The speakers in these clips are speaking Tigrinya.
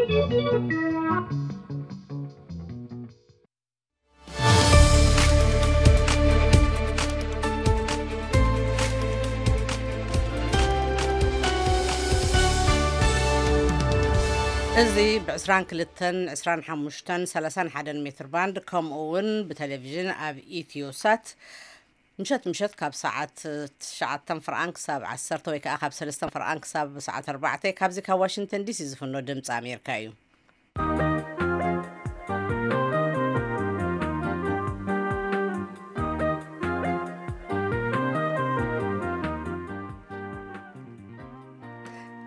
እዚ ብ22፣ 25፣ 31 ሜትር ባንድ፣ ከምኡ እውን ብቴሌቪዥን ኣብ ኢትዮ ሳት፣ ምሸት ምሸት ካብ ሰዓት ትሽዓተ ፍርኣን ክሳብ ዓሰርተ፣ ወይ ከዓ ካብ ሰለስተ ፍርኣን ክሳብ ሰዓት ኣርባዕተ፣ ካብዚ ካብ ዋሽንግተን ዲሲ ዝፍኖ ድምፂ ኣሜሪካ እዩ።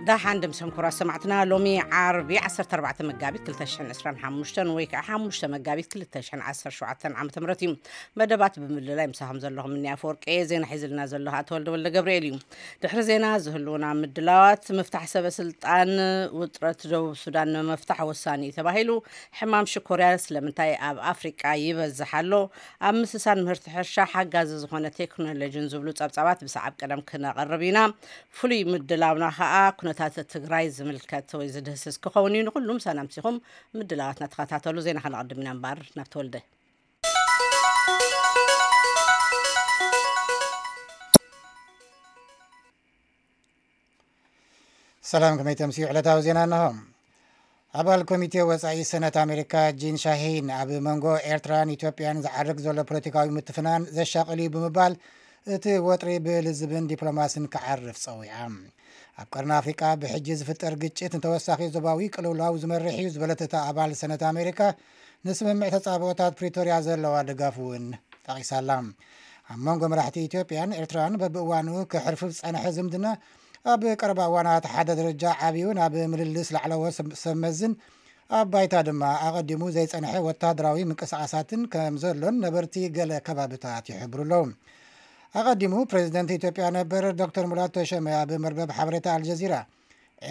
ደሓን ድምሰም ክቡራት ሰማዕትና፣ ሎሚ ዓርቢ ዓሰርተ ኣርባዕተ መጋቢት ክልተ ሽሕን ዕስራን ሓሙሽተን ወይ ከዓ ሓሙሽተ መጋቢት ክልተ ሽሕን ዓሰርተ ሸውዓተን ዓመተ ምህረት እዩ። መደባት ብምልላይ ምሳኹም ዘለኹም እኒ ኣፈወርቂ፣ ዜና ሒዝልና ዘሎ ኣቶ ወልደ ወልደ ገብርኤል እዩ። ድሕሪ ዜና ዝህልውና ምድላዋት፣ ምፍታሕ ሰበ ስልጣን ውጥረት ደቡብ ሱዳን ንምፍታሕ ወሳኒ እዩ ተባሂሉ፣ ሕማም ሽኮርያ ስለምንታይ ኣብ ኣፍሪቃ ይበዝሕ ኣሎ፣ ኣብ ምስሳን ምህርቲ ሕርሻ ሓጋዚ ዝኾነ ቴክኖሎጂን ዝብሉ ጸብጻባት ብሰዓብ ቀደም ክነቕርብ ኢና። ፍሉይ ምድላውና ኸኣ ኩነታት ትግራይ ዝምልከት ወይ ዝድህስስ ክኸውን እዩ። ንኹሉ ምሳና ኣምሲኹም ምድላዋትና ተኸታተሉ። ዜና ከነቐድም ኢና እምበኣር ናብ ተወልደ። ሰላም፣ ከመይ ተምስዩ? ዕለታዊ ዜና እንሆ። ኣባል ኮሚቴ ወጻኢ ሰነት ኣሜሪካ ጂን ሻሂን ኣብ መንጎ ኤርትራን ኢትዮጵያን ዝዓርግ ዘሎ ፖለቲካዊ ምትፍናን ዘሻቕል እዩ ብምባል እቲ ወጥሪ ብልዝብን ዲፕሎማስን ክዓርፍ ጸዊዓ። ኣብ ቀርኒ ኣፍሪቃ ብሕጂ ዝፍጠር ግጭት ንተወሳኺ ዞባዊ ቅልውላው ዝመርሕ እዩ ዝበለት እታ ኣባል ሰነት ኣሜሪካ፣ ንስምምዕ ተጻብኦታት ፕሪቶርያ ዘለዋ ድጋፍ እውን ጠቒሳላ። ኣብ መንጎ መራሕቲ ኢትዮጵያን ኤርትራን በብእዋኑ ክሕርፍፍ ዝጸንሐ ዝምድና ኣብ ቀረባ እዋናት ሓደ ደረጃ ዓብዩ ናብ ምልልስ ላዕለዎት ሰብ-፣ ሰብ መዝን ኣብ ባይታ ድማ ኣቐዲሙ ዘይጸንሐ ወታደራዊ ምንቅስቓሳትን ከም ዘሎን ነበርቲ ገለ ከባብታት ይሕብሩ ኣለዉ። ኣቐዲሙ ፕሬዚደንት ኢትዮጵያ ነበር ዶክተር ሙላቱ ተሾመ ኣብ መርበብ ሓበሬታ ኣልጀዚራ፣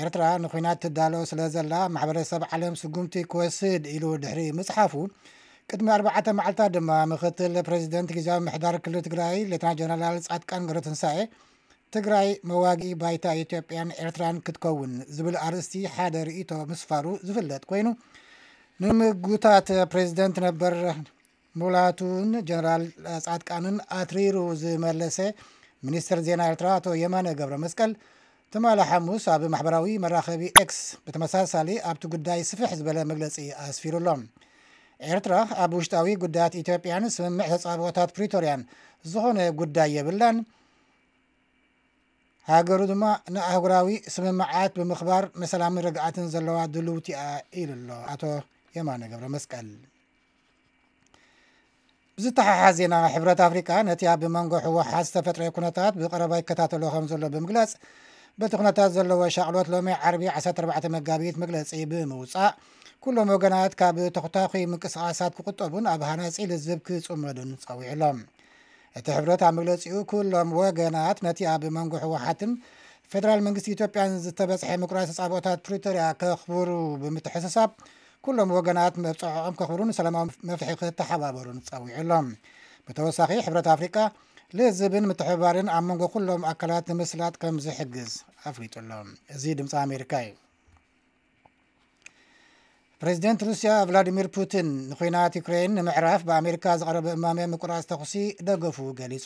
ኤርትራ ንኹናት ትዳሎ ስለ ዘላ ማሕበረሰብ ዓለም ስጉምቲ ክወስድ ኢሉ ድሕሪ ምጽሓፉ፣ ቅድሚ ኣርባዕተ መዓልታት ድማ ምክትል ፕሬዚደንት ግዝያዊ ምሕዳር ክልል ትግራይ ሌተና ጀነራል ጻድቃን ገብረትንሳኤ፣ ትግራይ መዋግኢ ባይታ ኢትዮጵያን ኤርትራን ክትከውን ዝብል ኣርእስቲ ሓደ ርእይቶ ምስፋሩ ዝፍለጥ ኮይኑ፣ ንምጉታት ፕሬዚደንት ነበር ሙላቱን ጀነራል ጻድቃንን ኣትሪሩ ዝመለሰ ሚኒስትር ዜና ኤርትራ ኣቶ የማነ ገብረ መስቀል፣ ትማሊ ሓሙስ ኣብ ማሕበራዊ መራኸቢ ኤክስ ብተመሳሳሊ ኣብቲ ጉዳይ ስፍሕ ዝበለ መግለጺ ኣስፊሩ ኣሎ። ኤርትራ ኣብ ውሽጣዊ ጉዳያት ኢትዮጵያን ስምምዕ ተጻብኦታት ፕሪቶርያን ዝኾነ ጉዳይ የብላን፣ ሃገሩ ድማ ንኣህጉራዊ ስምምዓት ብምኽባር ንሰላምን ርግኣትን ዘለዋ ድልውቲ እያ ኢሉ ኣሎ ኣቶ የማነ ገብረ መስቀል። ብዝተሓሓዝ ዜና፣ ሕብረት ኣፍሪቃ ነቲ ኣብ መንጎ ህወሓት ዝተፈጥረ ኩነታት ብቐረባ ይከታተሎ ከም ዘሎ ብምግላጽ፣ በቲ ኩነታት ዘለዎ ሻቕሎት ሎሚ ዓርቢ ዓሰርተ ኣርባዕተ መጋቢት መግለጺ ብምውጻእ፣ ኩሎም ወገናት ካብ ተኹታኹይ ምንቅስቓሳት ክቁጠቡን ኣብ ሃናጺ ልዝብ ክጽመዱን ጸዊዑ ኣሎ። እቲ ሕብረት ኣብ መግለጺኡ፣ ኩሎም ወገናት ነቲ ኣብ መንጎ ህወሓትን ፌደራል መንግስቲ ኢትዮጵያን ዝተበጽሐ ምቁራጽ ተጻብኦታት ፕሪቶርያ ከኽብሩ ብምትሕስሳብ፣ ኩሎም ወገናት መብጽዖኦም ከኽብሩን ሰላማዊ መፍትሒ ክተሓባበሩን ጸዊዑ ኣሎ። ብተወሳኺ፣ ሕብረት ኣፍሪቃ ልዝብን ምትሕብባርን ኣብ መንጎ ኩሎም ኣካላት ንምስላጥ ከም ዝሕግዝ ኣፍሊጡ ኣሎ። እዚ ድምፂ ኣሜሪካ እዩ። ፕሬዚደንት ሩስያ ቭላዲሚር ፑቲን፣ ንኹናት ዩክሬን ንምዕራፍ ብኣሜሪካ ዝቐረበ እማመ ምቁራጽ ተኹሲ ደገፉ ገሊጹ።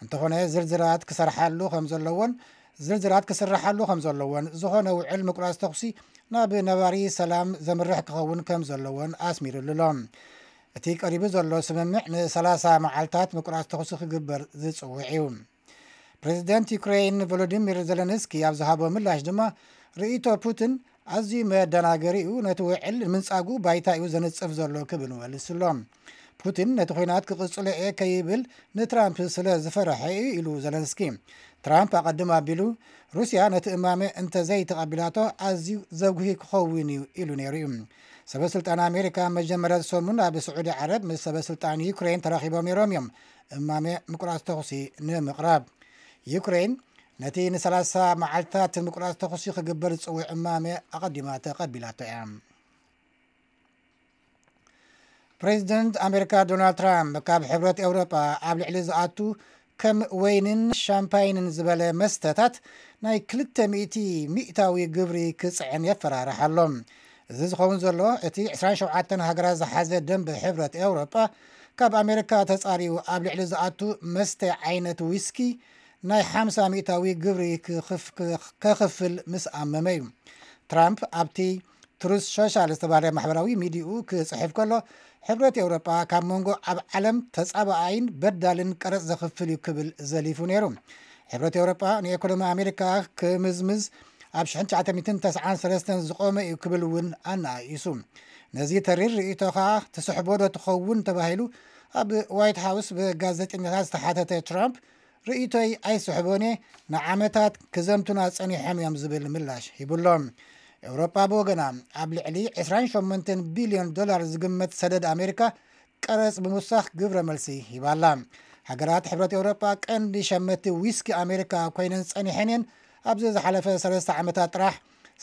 እንተኾነ፣ ዝርዝራት ክሰርሓሉ ከም ዘለዎን ዝርዝራት ክስርሓሉ ከም ዘለዎን፣ ዝኾነ ውዕል ምቁራጽ ተኹሲ ናብ ነባሪ ሰላም ዘምርሕ ክኸውን ከም ዘለዎን ኣስሚሩሉ ኣሎ። እቲ ቀሪቡ ዘሎ ስምምዕ ንሰላሳ መዓልታት ምቁራጽ ተኹሲ ክግበር ዝጽውዕ እዩ። ፕሬዚደንት ዩክሬን ቮሎዲሚር ዘለንስኪ ኣብ ዝሃቦ ምላሽ ድማ፣ ርእይቶ ፑቲን ኣዝዩ መደናገሪ እዩ፣ ነቲ ውዕል ንምንጻጉ ባይታ እዩ ዘንጽፍ ዘሎ ክብል መሊሱ ኣሎ። ፑቲን ነቲ ኲናት ክቕጽሎ እየ ከይብል ንትራምፕ ስለ ዝፈርሐ እዩ ኢሉ ዘለንስኪ። ትራምፕ ኣቐድም ኣቢሉ፣ ሩስያ ነቲ እማመ እንተዘይተቐቢላቶ ኣዝዩ ዘጉሂ ክኸውን እዩ ኢሉ ነይሩ እዩ። ሰበ ስልጣን ኣሜሪካ መጀመርያ ሰሙን ኣብ ስዑዲ ዓረብ ምስ ሰበ ስልጣን ዩክሬን ተራኺቦም ነይሮም እዮም፣ እማመ ምቁራጽ ተኹሲ ንምቕራብ። ዩክሬን ነቲ ንሰላሳ መዓልታት ምቁራጽ ተኹሲ ክግበር ዝጽውዕ እማመ ኣቐዲማ ተቐቢላቶ እያ። ፕሬዚደንት ኣሜሪካ ዶናልድ ትራምፕ፣ ካብ ሕብረት ኤውሮጳ ኣብ ልዕሊ ዝኣቱ ከም ወይንን ሻምፓይንን ዝበለ መስተታት ናይ ክልተ ሚእቲ ሚእታዊ ግብሪ ክጽዕን የፈራርሕ ኣሎ። እዚ ዝኸውን ዘሎ እቲ ዕስራን ሸውዓተን ሃገራት ዝሓዘ ደንበ ሕብረት ኤውሮጳ ካብ ኣሜሪካ ተጻርዩ ኣብ ልዕሊ ዝኣቱ መስተ ዓይነት ዊስኪ ናይ ሓምሳ ሚእታዊ ግብሪ ክኽፍ- ከኽፍል ምስ ኣመመ እዩ። ትራምፕ ኣብቲ ትሩስ ሶሻል ዝተባህለ ማሕበራዊ ሚዲኡ ክጽሕፍ ከሎ፣ ሕብረት ኤውሮጳ ካብ መንጎ ኣብ ዓለም ተጻባኣይን በዳልን ቀረጽ ዘኽፍል እዩ ክብል ዘሊፉ ነይሩ። ሕብረት ኤውሮጳ ንኤኮኖሚ ኣሜሪካ ክምዝምዝ ኣብ ሽሕን ትሽዓተ ሚእትን ተስዓን ሰለስተን ዝቖመ እዩ ክብል እውን ኣነኣኢሱ። ነዚ ተሪር ርእይቶኻ ትስሕቦ ዶ ትኸውን ተባሂሉ ኣብ ዋይት ሃውስ ብጋዜጠኛታት ዝተሓተተ ትራምፕ፣ ርእይቶይ ኣይስሕቦን እየ፣ ንዓመታት ክዘምቱና ጸኒሖም እዮም ዝብል ምላሽ ሂቡሎም። ኤውሮጳ ብወገና ኣብ ልዕሊ ዕስራን ሸሞንተን ቢልዮን ዶላር ዝግመት ሰደድ ኣሜሪካ ቀረጽ ብምውሳኽ ግብረ መልሲ ሂባላ። ሃገራት ሕብረት ኤውሮጳ ቀንዲ ሸመቲ ዊስኪ ኣሜሪካ ኮይነን ጸኒሐን እየን። ኣብዚ ዝሓለፈ ሰለስተ ዓመታት ጥራሕ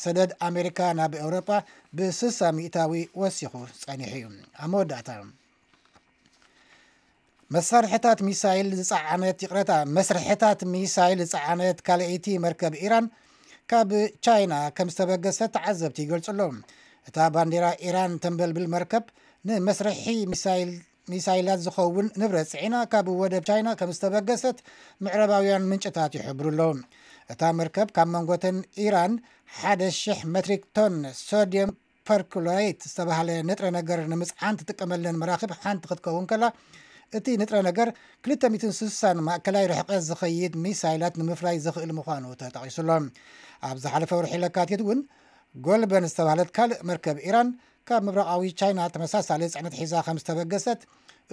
ሰደድ ኣሜሪካ ናብ ኤውሮጳ ብስሳ ሚእታዊ ወሲኹ ጸኒሑ እዩ። ኣብ መወዳእታ፣ መሳርሕታት ሚሳይል ዝጸዓነት ይቕረታ መስርሕታት ሚሳይል ዝጸዓነት ካልኣይቲ መርከብ ኢራን ካብ ቻይና ከም ዝተበገሰት ተዓዘብቲ ይገልጹ ኣለዉ። እታ ባንዴራ ኢራን ተንበልብል መርከብ ንመስርሒ ሚሳይል ሚሳይላት ዝኸውን ንብረት ጽዒና ካብ ወደብ ቻይና ከም ዝተበገሰት ምዕራባውያን ምንጭታት ይሕብሩ ኣለዉ። እታ መርከብ ካብ መንጎተን ኢራን ሓደ ሽሕ መትሪክ ቶን ሶድየም ፐርኩሎሬት ዝተባህለ ንጥረ ነገር ንምጽዓን ትጥቀመለን መራኽብ ሓንቲ ክትከውን ከላ፣ እቲ ንጥረ ነገር ክልተ ሚእትን ስሳን ማእከላይ ርሕቀት ዝኸይድ ሚሳይላት ንምፍራይ ዝኽእል ምዃኑ ተጠቒሱሎ። ኣብ ዝሓለፈ ወርሒ ለካቲት እውን ጎልበን ዝተባህለት ካልእ መርከብ ኢራን ካብ ምብራቓዊ ቻይና ተመሳሳሊ ጽዕነት ሒዛ ከም ዝተበገሰት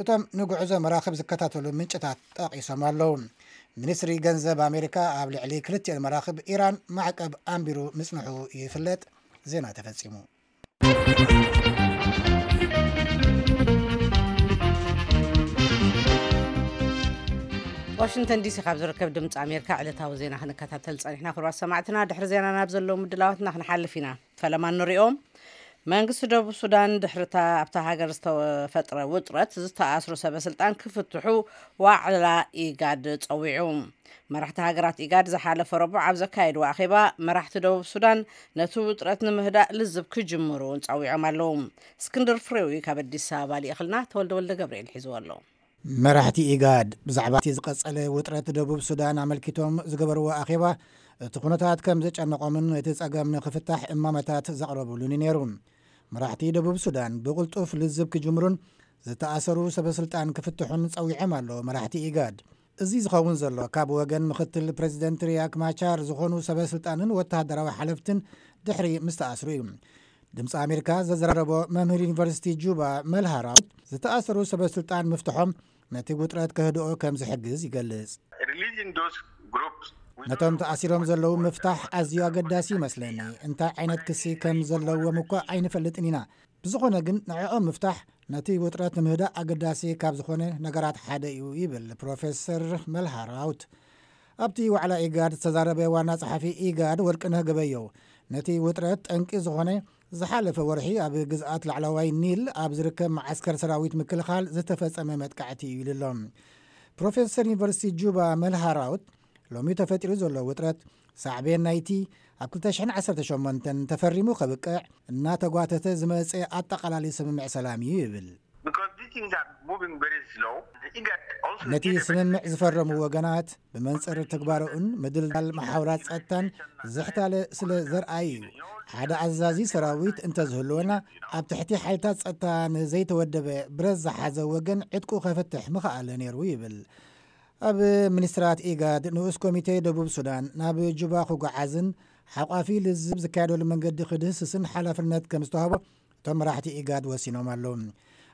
እቶም ንጉዕዞ መራኽብ ዝከታተሉ ምንጭታት ጠቒሶም ኣለዉ። ሚኒስትሪ ገንዘብ ኣሜሪካ ኣብ ልዕሊ ክልቲኤን መራኽብ ኢራን ማዕቀብ ኣንቢሩ ምጽንሑ ይፍለጥ። ዜና ተፈጺሙ። ዋሽንግተን ዲሲ ካብ ዝርከብ ድምፂ ኣሜሪካ ዕለታዊ ዜና ክንከታተል ጸኒሕና። ክቡራት ሰማዕትና፣ ድሕሪ ዜና ናብ ዘለዉ ምድላዋትና ክንሓልፍ ኢና። ፈለማ ንሪኦም። መንግስቲ ደቡብ ሱዳን ድሕሪታ ኣብታ ሃገር ዝተፈጥረ ውጥረት ዝተኣስሩ ሰበ ስልጣን ክፍትሑ ዋዕላ ኢጋድ ጸዊዑ። መራሕቲ ሃገራት ኢጋድ ዝሓለፈ ረቡዕ ኣብ ዘካየድዎ ኣኼባ፣ መራሕቲ ደቡብ ሱዳን ነቲ ውጥረት ንምህዳእ ልዝብ ክጅምሩ እውን ጸዊዖም ኣለዉ። እስክንድር ፍሬው እዩ ካብ ኣዲስ ኣበባ ልኢኽልና፣ ተወልደ ወልደ ገብርኤል ሒዝዎ ኣሎ። መራሕቲ ኢጋድ ብዛዕባ እቲ ዝቐጸለ ውጥረት ደቡብ ሱዳን ኣመልኪቶም ዝገበርዎ ኣኼባ፣ እቲ ኩነታት ከም ዘጨነቖምን እቲ ጸገም ንክፍታሕ እማመታት ዘቕረቡሉን እዩ ነይሩ። መራሕቲ ደቡብ ሱዳን ብቕልጡፍ ልዝብ ክጅምሩን ዝተኣሰሩ ሰበ ስልጣን ክፍትሑን ጸዊዖም ኣለዉ መራሕቲ ኢጋድ። እዚ ዝኸውን ዘሎ ካብ ወገን ምክትል ፕሬዚደንት ሪያክ ማቻር ዝኾኑ ሰበ ስልጣንን ወተሃደራዊ ሓለፍትን ድሕሪ ምስ ተኣስሩ እዩ። ድምፂ ኣሜሪካ ዘዘራረቦ መምህር ዩኒቨርሲቲ ጁባ መልሃራውት፣ ዝተኣሰሩ ሰበ ስልጣን ምፍትሖም ነቲ ውጥረት ከህድኦ ከም ዝሕግዝ ይገልጽ። Releasing those groups ነቶም ተኣሲሮም ዘለዉ ምፍታሕ ኣዝዩ ኣገዳሲ ይመስለኒ። እንታይ ዓይነት ክሲ ከም ዘለዎም እኳ ኣይንፈልጥን ኢና። ብዝኾነ ግን ንዕኦም ምፍታሕ ነቲ ውጥረት ንምህዳእ ኣገዳሲ ካብ ዝኾነ ነገራት ሓደ እዩ ይብል ፕሮፌሰር መልሃራውት። ኣብቲ ዋዕላ ኢጋድ ዝተዛረበ ዋና ጸሓፊ ኢጋድ ወርቅነህ ገበየው፣ ነቲ ውጥረት ጠንቂ ዝኾነ ዝሓለፈ ወርሒ ኣብ ግዝኣት ላዕለዋይ ኒል ኣብ ዝርከብ መዓስከር ሰራዊት ምክልኻል ዝተፈጸመ መጥቃዕቲ እዩ ኢሉ ኣሎ። ፕሮፌሰር ዩኒቨርሲቲ ጁባ መልሃራውት፣ ሎሚ ተፈጢሩ ዘሎ ውጥረት ሳዕቤን ናይቲ ኣብ ክልተ ሽሕን ዓሰርተ ሸሞንተን ተፈሪሙ ከብቅዕ እናተጓተተ ዝመጸ ኣጠቓላሊ ስምምዕ ሰላም እዩ ይብል። Because these things are moving very slow. The IGAD also ነቲ did a ስምምዕ ዝፈረሙ ወገናት ብመንጽር ተግባርኡን ምድልዳል መሓውራት ጸጥታን ዝሕታለ ስለ ዘርኣዩ እዩ። ሓደ ኣዛዚ ሰራዊት እንተዝህልወና፣ ኣብ ትሕቲ ሓይልታት ጸጥታ ንዘይተወደበ ብረት ዝሓዘ ወገን ዕጥቁ ከፍትሕ ምኽኣለ ነይሩ ይብል። ኣብ ሚኒስትራት ኢጋድ ንኡስ ኮሚቴ ደቡብ ሱዳን ናብ ጁባ ክጓዓዝን ሓቋፊ ልዝብ ዝካየደሉ መንገዲ ክድህስስን ሓላፍነት ከም ዝተዋህቦ እቶም መራሕቲ ኢጋድ ወሲኖም ኣለዉ።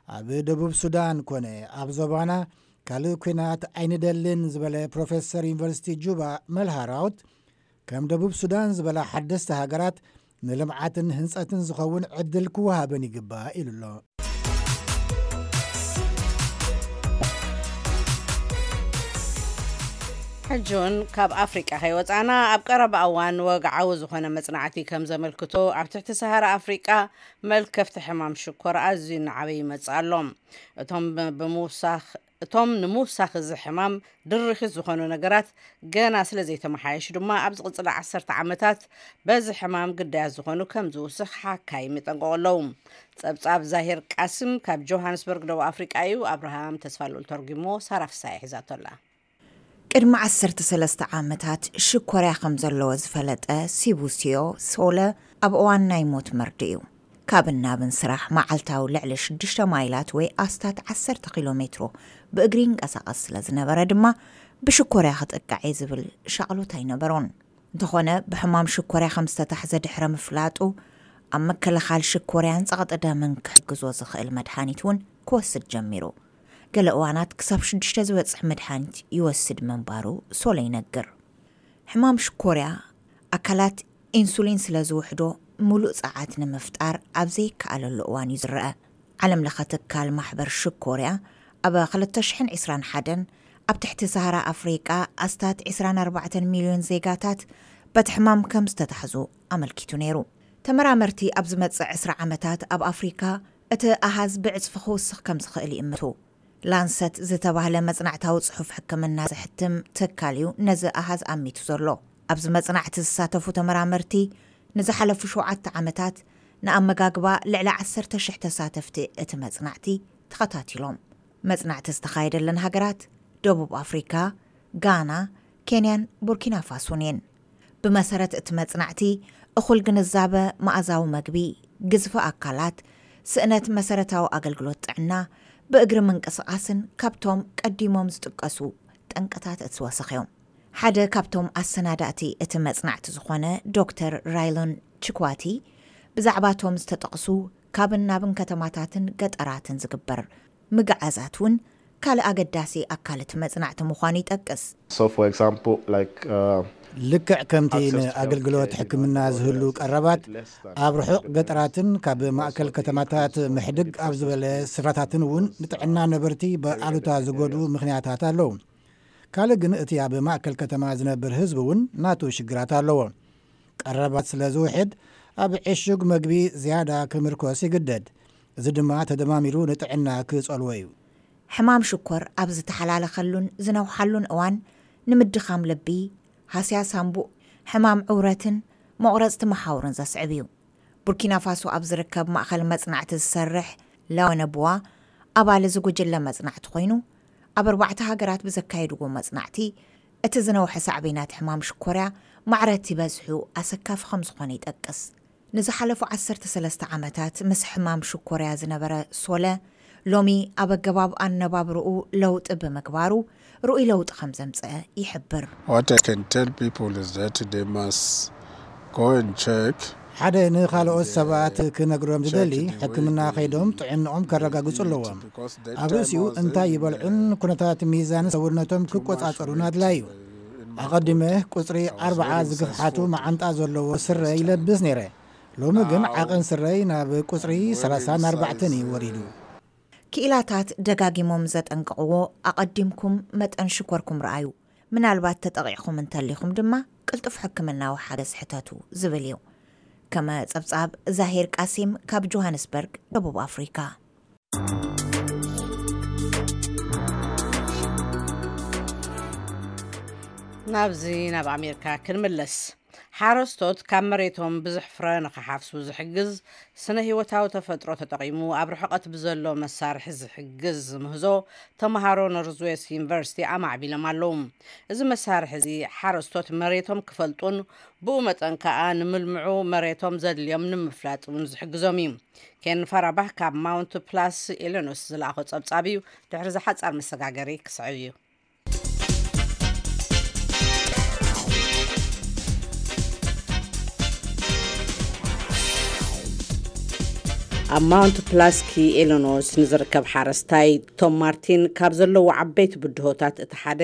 ኣብ ደቡብ ሱዳን ኮነ ኣብ ዞባና ካልእ ኲናት ኣይንደልን ዝበለ ፕሮፌሰር ዩኒቨርሲቲ ጁባ መልሃራውት፣ ከም ደቡብ ሱዳን ዝበላ ሓደስቲ ሃገራት ንልምዓትን ህንጸትን ዝኸውን ዕድል ክወሃበን ይግባእ ኢሉ ኣሎ። ሕጂ እውን ካብ ኣፍሪቃ ከይወጻና፣ ኣብ ቀረባ እዋን ወግዓዊ ዝኾነ መጽናዕቲ ከም ዘመልክቶ፣ ኣብ ትሕቲ ሰሃራ ኣፍሪቃ መልከፍቲ ሕማም ሽኮር ኣዝዩ እናዓበየ ይመጽእ ኣሎ። እቶም ብ- ብምውሳኽ እቶም ንምውሳኽ እዚ ሕማም ድርኺት ዝኾኑ ነገራት ገና ስለ ዘይተመሓየሹ ድማ፣ ኣብ ዝቕጽላ ዓሰርተ ዓመታት በዚ ሕማም ግዳያት ዝኾኑ ከም ዝውስኽ ሓካይም ይጠንቀቑ ኣለዉ። ጸብጻብ ዛሂር ቃስም ካብ ጆሃንስበርግ፣ ደቡብ ኣፍሪቃ እዩ። ኣብርሃም ተስፋልኡል ተርጉሞ፣ ሳራ ፍሳሐ ሒዛቶ ኣላ። ቅድሚ ዓሰርተ ሰለስተ ዓመታት ሽኮርያ ከም ዘለዎ ዝፈለጠ ሲቡሲዮ ሶለ፣ ኣብ እዋን ናይ ሞት መርድእ እዩ። ካብን ናብን ስራሕ መዓልታዊ ልዕሊ ሽዱሽተ ማይላት ወይ ኣስታት ዓሰርተ ኪሎ ሜትሮ ብእግሪ ይንቀሳቐስ ስለ ዝነበረ ድማ፣ ብሽኮርያ ክጥቃዕ እየ ዝብል ሻቕሎት ኣይነበሮን። እንተኾነ፣ ብሕማም ሽኮርያ ከም ዝተታሕዘ ድሕረ ምፍላጡ፣ ኣብ ምክልኻል ሽኮርያን ጸቕጢ ደምን ክሕግዞ ዝኽእል መድሃኒት እውን ክወስድ ጀሚሩ። ገለ እዋናት ክሳብ ሽዱሽተ ዝበጽሕ መድሃኒት ይወስድ ምንባሩ ሶለ ይነግር። ሕማም ሽኮርያ፣ ኣካላት ኢንሱሊን ስለ ዝውሕዶ፣ ምሉእ ጸዓት ንምፍጣር ኣብ ዘይከኣለሉ እዋን እዩ ዝረአ። ዓለም ለኸ ትካል ማሕበር ሽኮርያ፣ ኣብ ክልተ ሽሕን ዕስራን ሓደን ኣብ ትሕቲ ሰሃራ ኣፍሪቃ ኣስታት ዕስራን ኣርባዕተን ሚልዮን ዜጋታት በቲ ሕማም ከም ዝተታሕዙ ኣመልኪቱ ነይሩ። ተመራመርቲ ኣብ ዝመጽእ ዕስራ ዓመታት ኣብ ኣፍሪካ እቲ ኣሃዝ ብዕጽፊ ክውስኽ ከም ዝኽእል ይእምቱ። ላንሰት ዝተባህለ መጽናዕታዊ ጽሑፍ ሕክምና ዘሕትም ትካል እዩ ነዚ ኣሃዝ ኣሚቱ ዘሎ። ኣብዚ መጽናዕቲ ዝሳተፉ ተመራመርቲ ንዝሓለፉ ሸውዓተ ዓመታት ንኣመጋግባ ልዕሊ ዓሰርተ ሽሕ ተሳተፍቲ እቲ መጽናዕቲ ተኸታቲሎም። መጽናዕቲ ዝተኻየደለን ሃገራት ደቡብ ኣፍሪካ፣ ጋና፣ ኬንያን ቡርኪና ፋሶን እየን። ብመሰረት እቲ መጽናዕቲ፣ እኹል ግንዛበ፣ መኣዛዊ መግቢ፣ ግዝፊ ኣካላት፣ ስእነት መሰረታዊ ኣገልግሎት ጥዕና፣ ብእግሪ ምንቅስቓስን ካብቶም ቀዲሞም ዝጥቀሱ ጠንቅታት እቲ ወሰኽ እዮም። ሓደ ካብቶም ኣሰናዳእቲ እቲ መጽናዕቲ ዝኾነ ዶክተር ራይሎን ችኳቲ፣ ብዛዕባቶም ዝተጠቕሱ ካብን ናብን ከተማታትን ገጠራትን ዝግበር ምግዓዛት እውን ካልእ ኣገዳሲ ኣካል እቲ መጽናዕቲ ምዃኑ ይጠቅስ። So, for example, like, uh, ልክዕ ከምቲ ንኣገልግሎት ሕክምና ዝህሉ ቀረባት ኣብ ርሑቕ ገጠራትን ካብ ማእከል ከተማታት ምሕድግ ኣብ ዝበለ ስፍራታትን እውን ንጥዕና ነበርቲ ብኣሉታ ዝጎድኡ ምኽንያታት ኣለዉ። ካልእ ግን እቲ ኣብ ማእከል ከተማ ዝነብር ህዝቢ እውን ናቱ ሽግራት ኣለዎ። ቀረባት ስለ ዝውሕድ ኣብ ዕሹግ መግቢ ዝያዳ ክምርኮስ ይግደድ። እዚ ድማ ተደማሚሩ ንጥዕና ክጸልዎ እዩ። ሕማም ሽኮር ኣብ ዝተሓላለኸሉን ዝነውሓሉን እዋን ንምድኻም ልቢ፣ ሃስያ ሳንቡእ፣ ሕማም ዕውረትን መቑረጽቲ መሓውርን ዘስዕብ እዩ። ቡርኪና ፋሶ ኣብ ዝርከብ ማእኸል መጽናዕቲ ዝሰርሕ ላወነቡዋ ኣባል እዚ ጉጅለ መጽናዕቲ ኮይኑ፣ ኣብ ኣርባዕተ ሃገራት ብዘካየድዎ መጽናዕቲ እቲ ዝነውሐ ሳዕቤናት ሕማም ሽኮርያ ማዕረ እቲ በዝሑ ኣሰካፊ ከም ዝኾነ ይጠቅስ። ንዝሓለፉ ዓሰርተ ሰለስተ ዓመታት ምስ ሕማም ሽኮርያ ዝነበረ ሶለ፣ ሎሚ ኣብ ኣገባብ ኣነባብርኡ ለውጢ ብምግባሩ ርኡይ ለውጢ ከም ዘምፀአ ይሕብር። What I can tell people is that they must go and check. ሓደ ንኻልኦት ሰባት ክነግሮም ዝደሊ፣ ሕክምና ከይዶም ጥዕንኦም ከረጋግጹ ኣለዎም። ኣብ ርእሲኡ እንታይ ይበልዑን ኩነታት ሚዛን ሰውነቶም ክቆጻጸሩን ኣድላዩ። ኣቐዲመ ቁጽሪ ኣርብዓ ዝግፍሓቱ መዓንጣ ዘለዎ ስረ ይለብስ ነይረ። ሎሚ ግን ዓቐን ስረይ ናብ ቁጽሪ ሰላሳን ኣርባዕተን እዩ ወሪዱ። ክኢላታት ደጋጊሞም ዘጠንቅቕዎ፣ ኣቐዲምኩም መጠን ሽኮርኩም ረኣዩ፣ ምናልባት ተጠቒዕኹም እንተሊኹም ድማ ቅልጡፍ ሕክምናዊ ሓገዝ ሕተቱ ዝብል እዩ። ከመ ጸብጻብ ዛሂር ቃሲም ካብ ጆሃንስበርግ፣ ደቡብ ኣፍሪካ። ናብዚ ናብ ኣሜሪካ ክንምለስ። ሓረስቶት ካብ መሬቶም ብዙሕ ፍረ ንኽሓፍሱ ዝሕግዝ ስነ ህይወታዊ ተፈጥሮ ተጠቒሙ ኣብ ርሕቐት ብዘሎ መሳርሒ ዝሕግዝ ምህዞ ተምሃሮ ኖርዝዌስት ዩኒቨርሲቲ ኣማዕቢሎም ኣለዉ። እዚ መሳርሒ እዚ ሓረስቶት መሬቶም ክፈልጡን ብኡ መጠን ከኣ ንምልምዑ መሬቶም ዘድልዮም ንምፍላጥ እውን ዝሕግዞም እዩ። ኬን ፋራባህ ካብ ማውንት ፕላስ ኢሊኖስ ዝለኣኾ ጸብጻብ እዩ። ድሕሪ ዝሓጻር መሰጋገሪ ክስዕብ እዩ። ኣብ ማውንት ፕላስኪ ኢሊኖስ ንዝርከብ ሓረስታይ ቶም ማርቲን ካብ ዘለዎ ዓበይቲ ብድሆታት እቲ ሓደ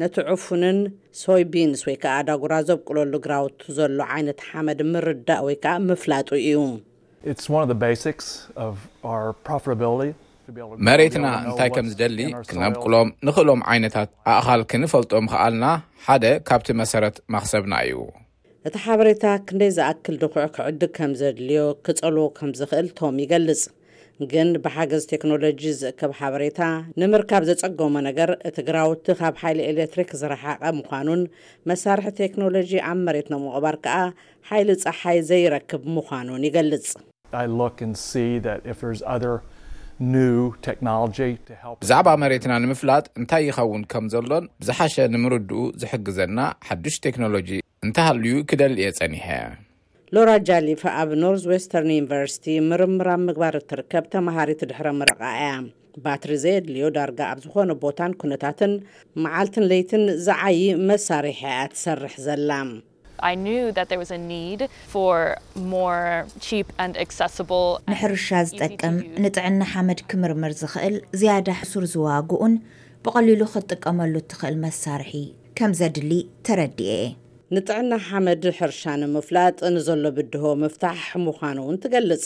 ነቲ ዕፉንን ሶይ ቢንስ ወይ ከዓ ዳጉራ ዘብቁለሉ ግራውቱ ዘሎ ዓይነት ሓመድ ምርዳእ ወይ ከዓ ምፍላጡ እዩ። It's one of the basics of our profitability. መሬትና እንታይ ከም ዝደሊ ክነብቁሎም ንኽእሎም ዓይነታት ኣእኻል ክንፈልጦ ምኽኣልና ሓደ ካብቲ መሰረት ማኽሰብና እዩ። እቲ ሓበሬታ ክንደይ ዝኣክል ድኹዕ ክዕድግ ከም ዘድልዮ ክጸልዎ ከም ዝኽእል ቶም ይገልጽ። ግን ብሓገዝ ቴክኖሎጂ ዝእከብ ሓበሬታ ንምርካብ ዘጸገሞ ነገር፣ እቲ ግራውቲ ካብ ሓይሊ ኤሌክትሪክ ዝረሓቐ ምዃኑን መሳርሒ ቴክኖሎጂ ኣብ መሬት ንምቕባር ከኣ ሓይሊ ጸሓይ ዘይረክብ ምዃኑን ይገልጽ። I look and see that if there's other new technology to help. ብዛዕባ መሬትና ንምፍላጥ እንታይ ይኸውን ከም ዘሎን ብዝሓሸ ንምርድኡ ዝሕግዘና ሓዱሽ ቴክኖሎጂ እንተሃልዩ ክደሊ እየ ጸኒሐ። ሎራ ጃሊፍ ኣብ ኖርዝ ዌስተርን ዩኒቨርሲቲ ምርምር ኣብ ምግባር እትርከብ ተመሃሪት ድሕረ ምረቓ እያ። ባትሪ ዘየድልዮ ዳርጋ ኣብ ዝኾነ ቦታን ኩነታትን መዓልትን ለይትን ዝዓዪ መሳርሒ እያ ትሰርሕ ዘላ። I knew that there was a need for more cheap and accessible. ንሕርሻ ዝጠቅም ንጥዕና ሓመድ ክምርምር ዝኽእል ዝያዳ ሕሱር ዝዋግኡን ብቐሊሉ ክትጥቀመሉ እትኽእል መሳርሒ ከም ዘድሊ ተረዲኤ። ንጥዕና ሓመድ ሕርሻ ንምፍላጥ ንዘሎ ብድሆ ምፍታሕ ምዃኑ እውን ትገልጽ።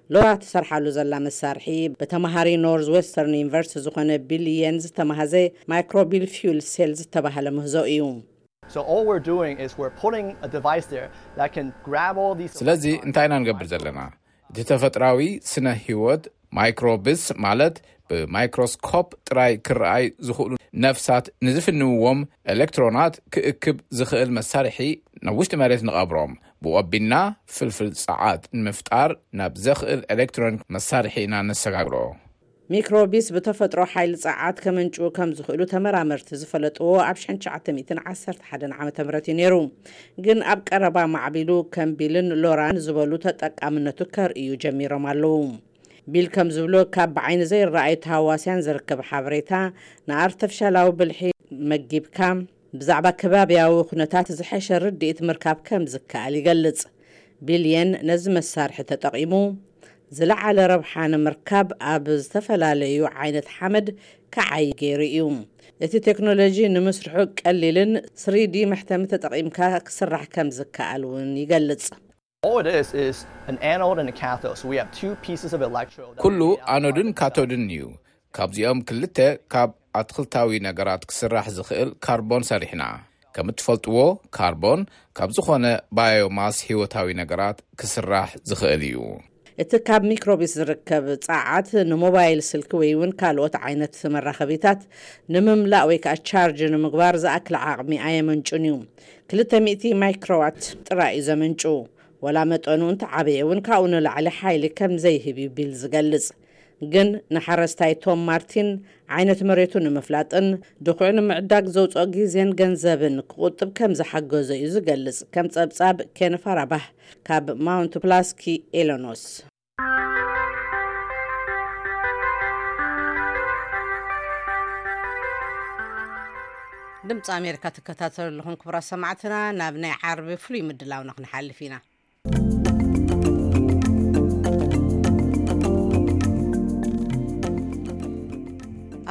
ሎራ ትሰርሓሉ ዘላ መሳርሒ ብተምሃሪ ኖርዝ ዌስተርን ዩኒቨርሲቲ ዝኾነ ቢል የን ዝተማህዘ ማይክሮቢል ፊውል ሴል ዝተባህለ ምህዞ እዩ። So all we're doing is we're putting a device there that can grab all these. ስለዚ እንታይ ኢና ንገብር ዘለና? እቲ ተፈጥራዊ ስነ ህይወት ማይክሮብስ ማለት ብማይክሮስኮፕ ጥራይ ክረኣይ ዝኽእሉ ነፍሳት ንዝፍንውዎም ኤሌክትሮናት ክእክብ ዝኽእል መሳርሒ ናብ ውሽጢ መሬት ንቐብሮም። ብወቢና ፍልፍል ጸዓት ንምፍጣር ናብ ዘኽእል ኤሌክትሮኒክ መሳርሒ ኢና ነሰጋግሮ። ሚክሮቢስ ብተፈጥሮ ሓይሊ ጸዓት ከመንጭዉ ከም ዝኽእሉ ተመራመርቲ ዝፈለጥዎ ኣብ ሽሕን ትሽዓተ ሚእትን ዓሰርተ ሓደን ዓመተ ምህረት እዩ ነይሩ። ግን ኣብ ቀረባ ማዕቢሉ ከም ቢልን ሎራን ዝበሉ ተጠቃምነቱ ከርእዩ ጀሚሮም ኣለዉ። ቢል ከም ዝብሎ ካብ ብዓይኒ ዘይረኣዩ ተሃዋስያን ዝርከብ ሓበሬታ ንኣርተፍሻላዊ ብልሒ መጊብካ ብዛዕባ ከባብያዊ ኩነታት ዝሐሸ ርድኢት ምርካብ ከም ዝከኣል ይገልጽ። ቢል የን ነዚ መሳርሒ ተጠቒሙ ዝለዓለ ረብሓ ንምርካብ ኣብ ዝተፈላለዩ ዓይነት ሓመድ ክዓይ ገይሩ እዩ። እቲ ቴክኖሎጂ ንምስርሑ ቀሊልን ስሪዲ መሕተሚ ተጠቒምካ ክስራሕ ከም ዝከኣል እውን ይገልጽ። All it is is an anode and a cathode. So we have two pieces of electrode. ኩሉ ኣኖድን ካቶድን እዩ። ካብዚኦም ክልተ ካብ ኣትክልታዊ ነገራት ክስራሕ ዝኽእል ካርቦን ሰሪሕና። ከም እትፈልጥዎ ካርቦን ካብ ዝኾነ ባዮማስ ህይወታዊ ነገራት ክስራሕ ዝኽእል እዩ። እቲ ካብ ሚክሮቢስ ዝርከብ ጸዓት ንሞባይል ስልኪ ወይ እውን ካልኦት ዓይነት መራኸቢታት ንምምላእ ወይ ከዓ ቻርጅ ንምግባር ዝኣክል ዓቕሚ ኣየመንጩን እዩ። ክልተ ሚእቲ ማይክሮዋት ጥራይ እዩ ዘመንጩ። ወላ መጠኑ እንተዓበየ እውን ካብኡ ንላዕሊ ሓይሊ ከም ዘይህብ እዩ ቢል ዝገልጽ። ግን ንሓረስታይ ቶም ማርቲን ዓይነት መሬቱ ንምፍላጥን ድኹዕ ንምዕዳግ ዘውፅኦ ግዜን ገንዘብን ክቁጥብ ከም ዝሓገዞ እዩ ዝገልጽ። ከም ጸብጻብ ኬን ፋራባህ ካብ ማውንት ፕላስኪ ኤሎኖስ። ድምፂ ኣሜሪካ ትከታተሉ ኣለኹም ክቡራት ሰማዕትና። ናብ ናይ ዓርቢ ፍሉይ ምድላውና ክንሓልፍ ኢና።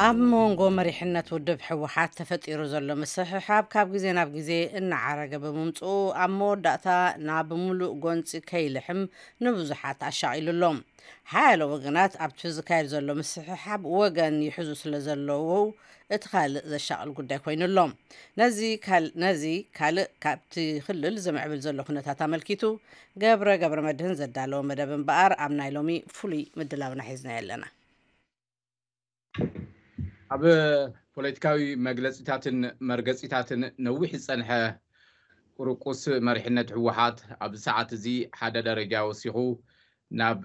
ኣብ መንጎ መሪሕነት ውድብ ህወሓት ተፈጢሩ ዘሎ ምስሕሓብ ካብ ግዜ ናብ ግዜ እናዓረገ ብምምፅኡ ኣብ መወዳእታ ናብ ምሉእ ጎንፂ ከይልሕም ንብዙሓት ኣሻቒሉ ኣሎ። ሓያሎ ወገናት ኣብቲ ዝካየድ ዘሎ ምስሕሓብ ወገን ይሕዙ ስለ ዘለዉ እቲ ካልእ ዘሻቕል ጉዳይ ኮይኑ ኣሎ። ነዚ ካልእ ካብቲ ክልል ዝምዕብል ዘሎ ኩነታት ኣመልኪቱ ገብረ ገብረ መድህን ዘዳለወ መደብ እምበኣር ኣብ ናይ ሎሚ ፍሉይ ምድላውና ሒዝናዮ ኣለና። ኣብ ፖለቲካዊ መግለፂታትን መርገፂታትን ነዊሕ ዝፀንሐ ቁርቁስ መሪሕነት ህወሓት ኣብዚ ሰዓት እዚ ሓደ ደረጃ ወሲኹ ናብ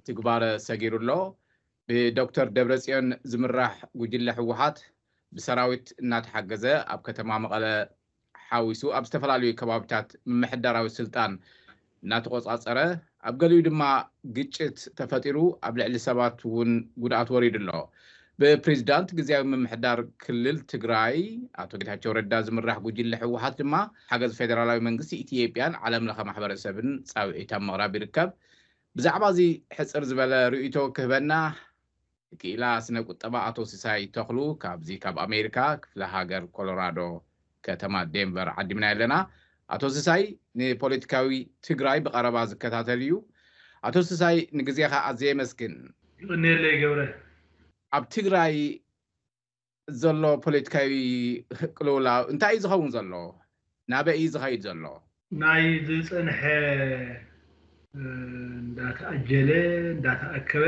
ትግባረ ሰጊሩ ኣሎ። ብዶክተር ደብረፅዮን ዝምራሕ ጉጅለ ህወሓት ብሰራዊት እናተሓገዘ ኣብ ከተማ መቐለ ሓዊሱ ኣብ ዝተፈላለዩ ከባቢታት ምምሕዳራዊ ስልጣን እናተቆፃፀረ ኣብ ገሊኡ ድማ ግጭት ተፈጢሩ ኣብ ልዕሊ ሰባት እውን ጉድኣት ወሪዱ ኣሎ። ብፕሬዚዳንት ግዝያዊ ምምሕዳር ክልል ትግራይ ኣቶ ጌታቸው ረዳ ዝምራሕ ጉጅለ ህወሓት ድማ ሓገዝ ፌደራላዊ መንግስቲ ኢትዮጵያን ዓለም ለኸ ማሕበረሰብን ፃውዒት ኣብ ምቕራብ ይርከብ። ብዛዕባ እዚ ሕፅር ዝበለ ርእይቶ ክህበና ክኢላ ስነ ቁጠባ ኣቶ ሲሳይ ተኽሉ ካብዚ ካብ ኣሜሪካ ክፍለ ሃገር ኮሎራዶ ከተማ ዴንቨር ዓዲምና ኣለና። ኣቶ ሲሳይ ንፖለቲካዊ ትግራይ ብቐረባ ዝከታተል እዩ። ኣቶ ሲሳይ ንግዜኻ ኣዝየ የመስግን። ይቕንየለይ ገብረ። ኣብ ትግራይ ዘሎ ፖለቲካዊ ቅልውላው እንታይ እዩ ዝኸውን ዘሎ? ናበይ እዩ ዝኸይድ ዘሎ? ናይ ዝፀንሐ እንዳተኣጀለ እንዳተኣከበ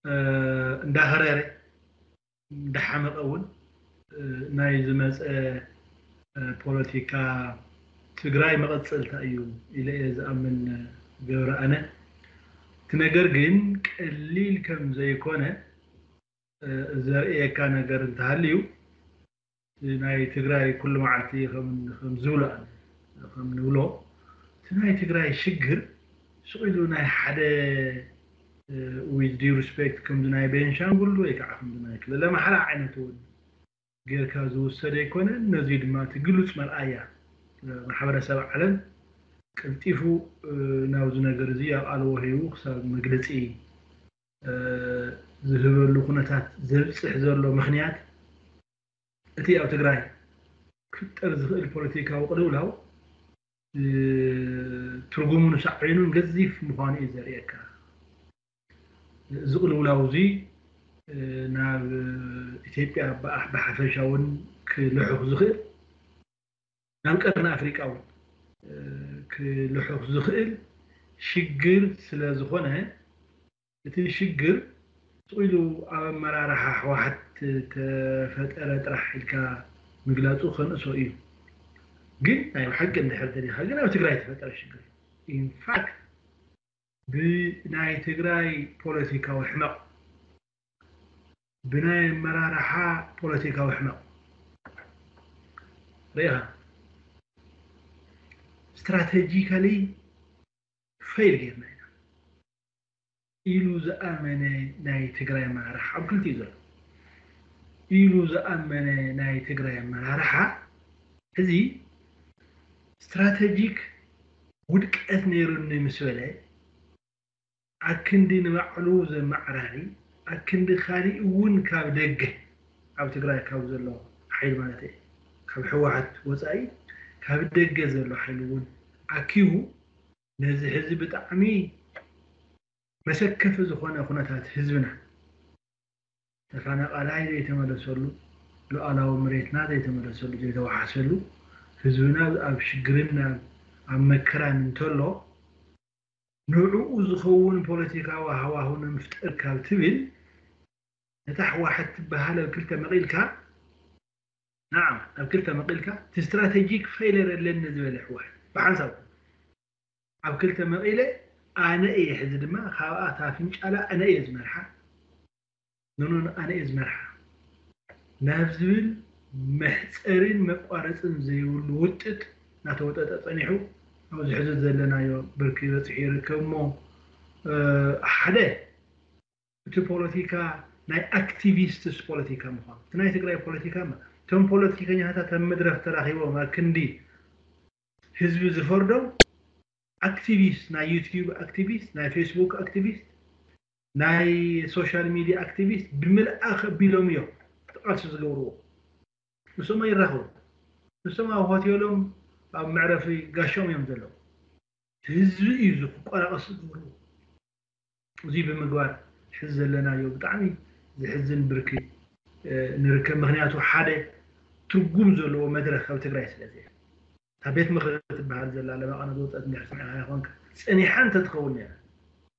እንዳኸረረ እንዳሓመቐ እውን ናይ ዝመፀ ፖለቲካ ትግራይ መቐፀልታ እዩ ኢለ እየ ዝኣምን። ገብረ ኣነ እቲ ነገር ግን ቀሊል ከም ዘይኮነ ዘርእየካ ነገር እንተሃልዩ ናይ ትግራይ ኩሉ መዓልቲ ከም ዝብሎ ከም ንብሎ እቲ ናይ ትግራይ ሽግር ስቕ ኢሉ ናይ ሓደ with due respect ከምዚ ናይ ቤንሻንጉል ወይ ከዓ ከምዚ ናይ ክልል ኣምሓራ ዓይነት እውን ጌርካ ዝውሰድ ኣይኮነን። ነዚ ድማ እቲ ግሉፅ መርኣያ ማሕበረሰብ ዓለም ቀልጢፉ ናብዚ ነገር እዚ ኣቓልቦ ሂቡ ክሳብ መግለፂ ዝህበሉ ኩነታት ዘብፅሕ ዘሎ ምክንያት እቲ ኣብ ትግራይ ክፍጠር ዝኽእል ፖለቲካዊ ቅልውላው ትርጉሙን ሳዕቤኑን ገዚፍ ምዃኑ እዩ ዘርእየካ። እዚ ቅልውላው እዚ ናብ ኢትዮጵያ ብሓፈሻ እውን ክልሑኽ ዝኽእል ናብ ቀርኒ ኣፍሪቃ እውን ክልሑኽ ዝኽእል ሽግር ስለ ዝኾነ እቲ ሽግር ስቕ ኢሉ ኣብ ኣመራርሓ ህወሓት ተፈጠረ ጥራሕ ኢልካ ምግላፁ ከንእሶ እዩ። ግን ናይ ብሓቂ እንድሕር ደሊኻ ግን ኣብ ትግራይ ተፈጠረ ሽግር ኢንፋክት ብናይ ትግራይ ፖለቲካዊ ሕመቕ ብናይ ኣመራርሓ ፖለቲካዊ ሕመቕ ርኢኻ ስትራቴጂካሊ ፌል ጌርና ኢና ኢሉ ዝኣመነ ናይ ትግራይ ኣመራርሓ ኣብ ክልቲኡ ዘሎ ኢሉ ዝኣመነ ናይ ትግራይ ኣመራርሓ እዚ ስትራቴጂክ ውድቀት ነይሩኒ ምስ በለ ኣክንዲ ንባዕሉ ዘመዓራሪ ኣክንዲ ካሊእ እውን ካብ ደገ ኣብ ትግራይ ካብ ዘሎ ሓይሊ ማለት እየ ካብ ሕወሓት ወፃኢ ካብ ደገ ዘሎ ሓይሊ እውን ኣኪቡ ነዚ ሕዚ ብጣዕሚ መሰከፊ ዝኾነ ኩነታት ህዝብና ተፈናቃላይ ዘይተመለሰሉ ሉዓላዊ መሬትና ዘይተመለሰሉ ዘይተዋሓሰሉ ህዝብና ኣብ ሽግርን ኣብ መከራን እንተሎ ንዕኡ ዝኸውን ፖለቲካዊ ሃዋሁ ንምፍጠር ካብ ትብል ነታ ሕዋሕት ትበሃል ኣብ ክልተ መቒልካ ንዓ ኣብ ክልተ መቒልካ እቲ ስትራቴጂክ ፌለር ኣለኒ ዝበለ ሕዋሕት ብሓንሳብ ኣብ ክልተ መቒለ ኣነ እየ ሕዚ ድማ ካብኣ እታ ፍንጫላ ኣነ እየ ዝመርሓ ኖኖ ኣነ እየ ዝመርሓ ናብ ዝብል መሕፀርን መቋረፅን ዘይብሉ ውጥጥ እናተወጠጠ ፀኒሑ ኣብዚ ሕዚ ዘለናዮ ብርኪ በፂሑ ይርከብ እሞ ሓደ እቲ ፖለቲካ ናይ ኣክቲቪስትስ ፖለቲካ ምኳኑ እቲ ናይ ትግራይ ፖለቲካ እቶም ፖለቲከኛታት ኣብ መድረክ ተራኪቦም ኣብ ክንዲ ህዝቢ ዝፈርዶም ኣክቲቪስት ናይ ዩቲዩብ ኣክቲቪስት ናይ ፌስቡክ ኣክቲቪስት ናይ ሶሻል ሚድያ ኣክቲቪስት ብምልኣ ከቢሎም እዮም እቲ ቃልሲ ዝገብርዎ ንሶም ኣይራኸቡ ንሶም ኣብ ሆቴሎም ኣብ መዕረፊ ጋሾም እዮም ዘለዉ ህዝቢ እዩ እዚ ክቆራቀስ ዝገብርዎ እዚ ብምግባር ሕዚ ዘለናዮ ብጣዕሚ ዝሕዝን ብርኪ ንርከብ ምክንያቱ ሓደ ትርጉም ዘለዎ መድረክ ኣብ ትግራይ ስለዚ እታ ቤት ምክሪ ትበሃል ዘላ ለባቐነ ዝወፀት እንድሕር ሰሚዕኻ ይኾንካ ፀኒሓ እንተትኸውን ነይራ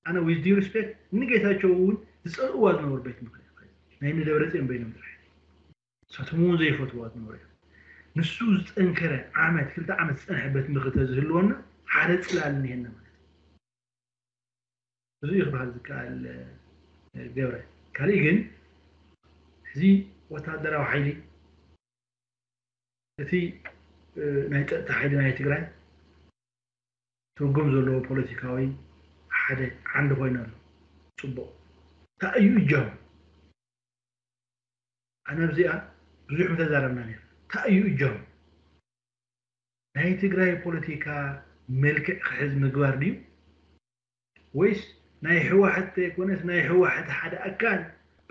ኣነ with due respect ንጌታቸው እውን ዝፀልእዋ ዝነበሩ ቤት ምክሪ ናይ ንደብረፅዮን በይኖም ጥራሕ ንሳቶም እውን ዘይፈትዋ ዝነበሩ እዮም ንሱ ዝጠንከረ ዓመት ክልተ ዓመት ዝፀንሐ ቤት ምክሪ ተዝህልወና ሓደ ፅላል እኒሄና ማለት እዩ እዚ እዩ ክበሃል ዝከኣል ገብረ ካልእ ግን እዚ ወታደራዊ ሓይሊ እቲ ናይ ፀጥታ ሓይሊ ናይ ትግራይ ትርጉም ዘለዎ ፖለቲካዊ ሓደ ዓንዲ ኮይኑ ኣሎ ፅቡቕ እንታይ እዩ እጃሙ ኣነ ኣብዚኣ ብዙሕ ምተዛረብና ነር እንታይ እዩ እጃሙ ናይ ትግራይ ፖለቲካ መልክዕ ክሕዝ ምግባር ድዩ ወይስ ናይ ህወሓት ዘይኮነስ ናይ ህወሓት ሓደ ኣካል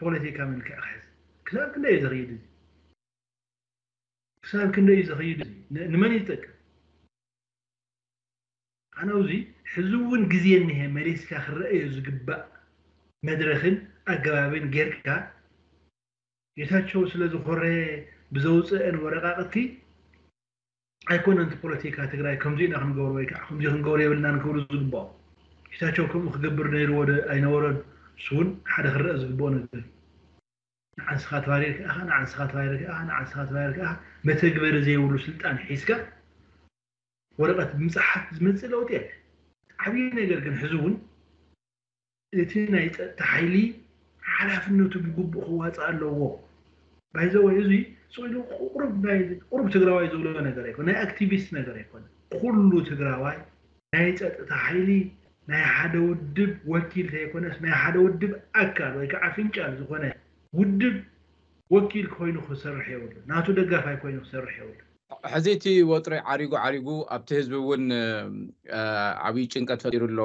ፖለቲካ መልክዕ ክሕዝ ክሳብ ክንደይ እዩ ዝኽይድ እዚ ክሳብ ክንደይ እዩ ዝኽይድ እዚ ንመን ይጠቅም ኣነ እዚ ሕዚ እውን ግዜ እኒሀ መሊስካ ክረአዮ ዝግባእ መድረክን ኣገባብን ጌርካ ጌታቸው ስለ ዝኾረየ ብዘውፅአን ወረቃቅቲ ኣይኮነን እቲ ፖለቲካ ትግራይ ከምዚ ኢና ክንገብሮ ወይ ከዓ ከምዚ ክንገብሮ የብልናን ክብሉ ዝግባኦ ጌታቸው ከምኡ ክገብር ነይርዎ ዶ ኣይነበሮን እሱ እውን ሓደ ክረአ ዝግብኦ ነገር እዩ። ንዓንስኻ ተባሪርካ ኢኻ፣ ንዓንስኻ ተባሪርካ ኢኻ፣ ንዓንስኻ ተባሪርካ ኢኻ። መተግበሪ ዘይብሉ ስልጣን ሒዝካ ወረቐት ምጽሓፍ ዝመጽእ ለውጢ የለ። ዓብዪ ነገር ግን ሕዚ እውን እቲ ናይ ጸጥታ ሓይሊ ሓላፍነቱ ብግቡእ ክዋጽእ ኣለዎ። ባይዘወይ እዚ ስኢሉ ቁሩብ ናይ ቁሩብ ትግራዋይ ዝብሎ ነገር ኣይኮነ፣ ናይ ኣክቲቪስት ነገር ኣይኮነ። ኩሉ ትግራዋይ ናይ ጸጥታ ሓይሊ ናይ ሓደ ውድብ ወኪል ዘይኮነስ ናይ ሓደ ውድብ ኣካል ወይ ከዓ ፍንጫል ዝኾነ ውድብ ወኪል ኮይኑ ክሰርሕ የብሉ፣ ናቱ ደጋፋይ ኮይኑ ክሰርሕ የብሉ። ሕዚ እቲ ወጥሪ ዓሪጉ ዓሪጉ ኣብቲ ህዝቢ እውን ዓብዪ ጭንቀት ፈጢሩ ኣሎ።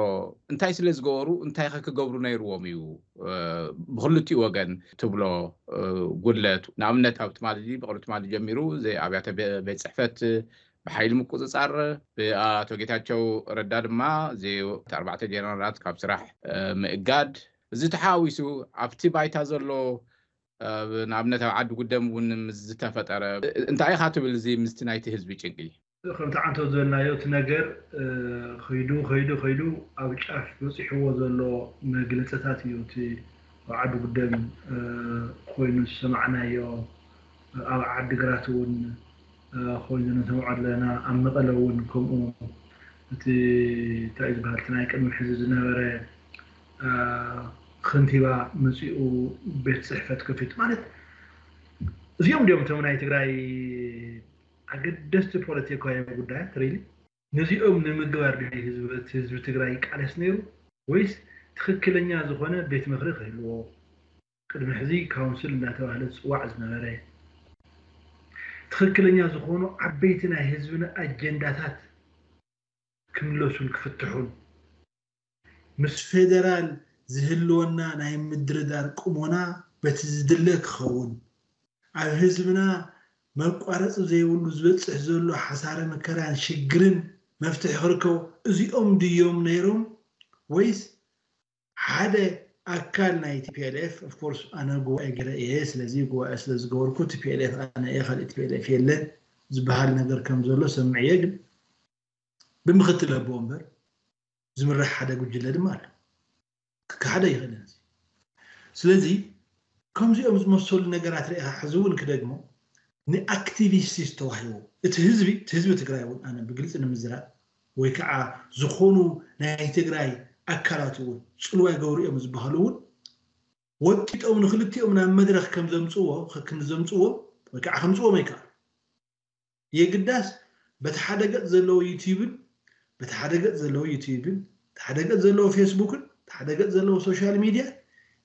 እንታይ ስለ ዝገበሩ እንታይ ከ ክገብሩ ነይርዎም እዩ? ብክልቲኡ ወገን ትብሎ ጉድለት፣ ንኣብነት ኣብ ትማሊ ብቅሪ ትማሊ ጀሚሩ ኣብያተ ቤት ፅሕፈት ብሓይሊ ምቁፅፃር፣ ብኣቶ ጌታቸው ረዳ ድማ ኣርባዕተ ጀነራላት ካብ ስራሕ ምእጋድ፣ እዚ ተሓዋዊሱ ኣብቲ ባይታ ዘሎ ንኣብነት ኣብ ዓዲ ጉደም እውን ምስ ዝተፈጠረ እንታይ ኢኻ ትብል? እዚ ምስቲ ናይቲ ህዝቢ ጭንቂ ከምቲ ዓንቶ ዝበልናዮ እቲ ነገር ከይዱ ከይዱ ከይዱ ኣብ ጫፍ በፂሕዎ ዘሎ መግለፅታት እዩ። እቲ ኣብ ዓዲ ጉደም ኮይኑ ዝሰማዕናዮ፣ ኣብ ዓዲ ግራት እውን ኮይኑ ንሰምዖ ኣለና። ኣብ መቐለ እውን ከምኡ እቲ እንታይ ዝበሃል ናይ ቅድሚ ሕዚ ዝነበረ ከንቲባ መፂኡ ቤት ፅሕፈት ከፊቱ ማለት እዚኦም ድዮም እቶም ናይ ትግራይ ኣገደስቲ ፖለቲካዊ ጉዳያት ሪሊ ነዚኦም ንምግባር ድዩ ህዝቢ ትግራይ ይቃለስ ነይሩ ወይስ ትኽክለኛ ዝኾነ ቤት ምኽሪ ክህልዎ ቅድሚ ሕዚ ካውንስል እናተባህለ ዝፅዋዕ ዝነበረ ትኽክለኛ ዝኾኑ ዓበይቲ ናይ ህዝብና ኣጀንዳታት ክምለሱን ክፍትሑን ምስ ፌደራል ዝህልወና ናይ ምድርዳር ቁሞና በቲ ዝድለ ክኸውን ኣብ ህዝብና መቋረፂ ዘይብሉ ዝበፅሕ ዘሎ ሓሳረ መከራን ሽግርን መፍትሒ ክርከቡ እዚኦም ድዮም ነይሮም ወይስ ሓደ ኣካል ናይ ቲፒኤልኤፍ? ኦፍኮርስ ኣነ ጉባኤ ገይረ እየ፣ ስለዚ ጉባኤ ስለዝገበርኩ ቲፒኤልኤፍ ኣነ እየ፣ ካልእ ቲፒኤልኤፍ የለን ዝበሃል ነገር ከም ዘሎ ሰምዐ እየ። ግን ብምክትል ኣቦ እምበር ዝምራሕ ሓደ ጉጅለ ድማ ኣሎ። ክከሓደ ይኽእልን እዚ። ስለዚ ከምዚኦም ዝመሰሉ ነገራት ርኢኻ ሕዚ እውን ክደግሞ ንኣክቲቪስት ተዋሂቡ እቲ ህዝቢ እቲ ህዝቢ ትግራይ እውን ኣነ ብግልፂ ንምዝራብ ወይ ከዓ ዝኾኑ ናይ ትግራይ ኣካላት እውን ፅልዋ ይገብሩ እዮም ዝበሃሉ እውን ወቂጦም ንክልቲኦም ናብ መድረክ ከም ዘምፅዎ ከም ዘምፅዎ ወይ ከዓ ከምፅዎም ኣይከኣሉ የግዳስ በቲ ሓደ ገፅ ዘለዎ ዩቲዩብን በቲ ሓደ ገፅ ዘለዎ ዩቲዩብን በቲ ሓደ ገፅ ዘለዎ ፌስቡክን በቲ ሓደ ገፅ ዘለዎ ሶሻል ሚድያ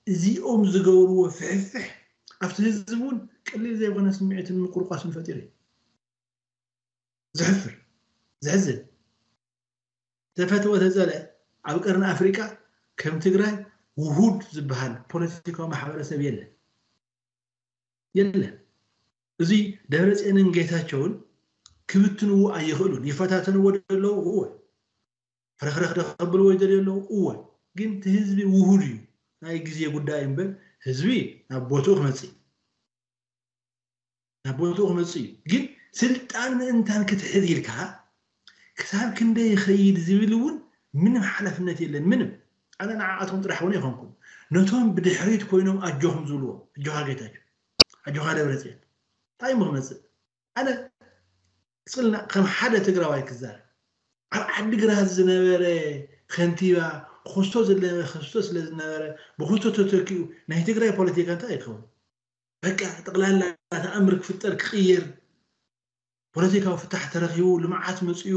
እዚኦም ዝገብርዎ ፍሕፍሕ ኣብቲ ህዝቢ እውን ቀሊል ዘይኮነ ስምዒትን ምቁርቋስን ፈጢሩ እዩ። ዘሕፍር ዘሕዝን ተፈትወ ተፀልአ ኣብ ቀርኒ ኣፍሪቃ ከም ትግራይ ውሁድ ዝበሃል ፖለቲካዊ ማሕበረሰብ የለን የለን። እዚ ደብረፅዮንን ጌታቸውን ክብትንዎ ኣይኽእሉን። ይፈታተንዎ ደለዉ እወ፣ ፍረኽረኽ ደኸብልዎ ይደልዩ ኣለዉ እወ። ግን እቲ ህዝቢ ውሁድ እዩ። ናይ ግዜ ጉዳይ እምበር ህዝቢ ናብ ቦትኡ ክመፅእ ናብ ቦትኡ ክመፅእ እዩ። ግን ስልጣን ምእንታን ክትሕዝ ኢልካ ክሳብ ክንደይ ይኸይድ ዝብል እውን ምንም ሓላፍነት የለን። ምንም ኣነ ንዓኣቶም ጥራሕ እውን ኣይኮንኩን። ነቶም ብድሕሪት ኮይኖም ኣጆኹም ዝብልዎ ኣጆኻ ጌታቸው ኣጆኻ ደብረፅዮን እንታይ እሞ ክመፅእ ኣነ ስልና ከም ሓደ ትግራዋይ ክዛረብ ኣብ ዓዲግራት ዝነበረ ከንቲባ ክስቶ ዝነበረ ክስቶ ስለ ዝነበረ ብክስቶ ተተኪኡ ናይ ትግራይ ፖለቲካ እንታይ ይኸውን? በቃ ጠቕላላ ተኣምር ክፍጠር ክቕየር ፖለቲካዊ ፍታሕ ተረኺቡ ልምዓት መፅኡ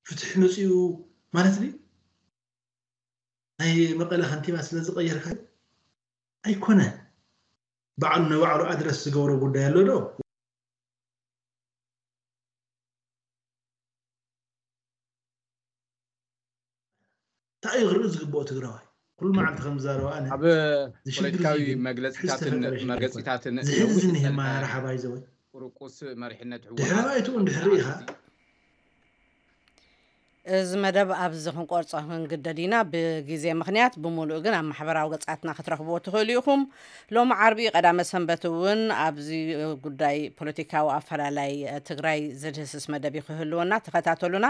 ፍትሒ መፅኡ ማለት ድዩ? ናይ መቐለ ከንቲባ ስለ ዝቐየርካ ኣይኮነን። ባዕሉ ንባዕሉ ኣድረስ ዝገብሮ ጉዳይ ኣሎ ዶ? እንታይ እዩ ክርኢ ዝግብኦ ትግራዋይ? ኩሉ መዓልቲ ከም ዝዛረባ ኣነ ኣብ እዚ ሽግር ፖለቲካዊ እዚ ግን መግለፂታትን ዝተፈጠረ ሽግር መግለፂታትን ዝሕዝን ይህማ ረሓባይ ዘወይ ቁርቁስ መሪሕነት ድሕራይ እቲ እውን ድሕሪ ኢኻ እዚ መደብ ኣብዚ ክንቆርጾ ክንግደድ ኢና። ብግዜ ምኽንያት ብምሉእ ግን ኣብ ማሕበራዊ ገጻትና ክትረኽብዎ ትኽእሉ ኢኹም። ሎሚ ዓርቢ ቀዳመ ሰንበት እውን ኣብዚ ጉዳይ ፖለቲካዊ ኣፈላላይ ትግራይ ዝድህስስ መደብ እዩ ክህልወና። ተኸታተሉና።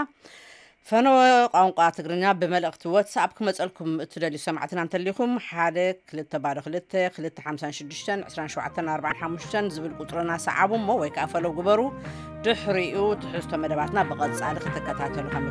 ፈነወ ቋንቋ ትግርኛ ብመልእኽቲ ዋትስኣፕ ክመጸልኩም እትደልዩ ሰማዕትና እንተሊኹም፣ ሓደ ክልተ ባዶ ክልተ ክልተ ሓምሳን ሽዱሽተን ዕስራን ሸውዓተን ኣርባዓን ሓሙሽተን ዝብል ቁጽርና ሰዓቡ እሞ ወይ ከዓ ፈለው ግበሩ። ድሕሪኡ ትሕዝቶ መደባትና ብቐጻሊ ክትከታተሉ ከም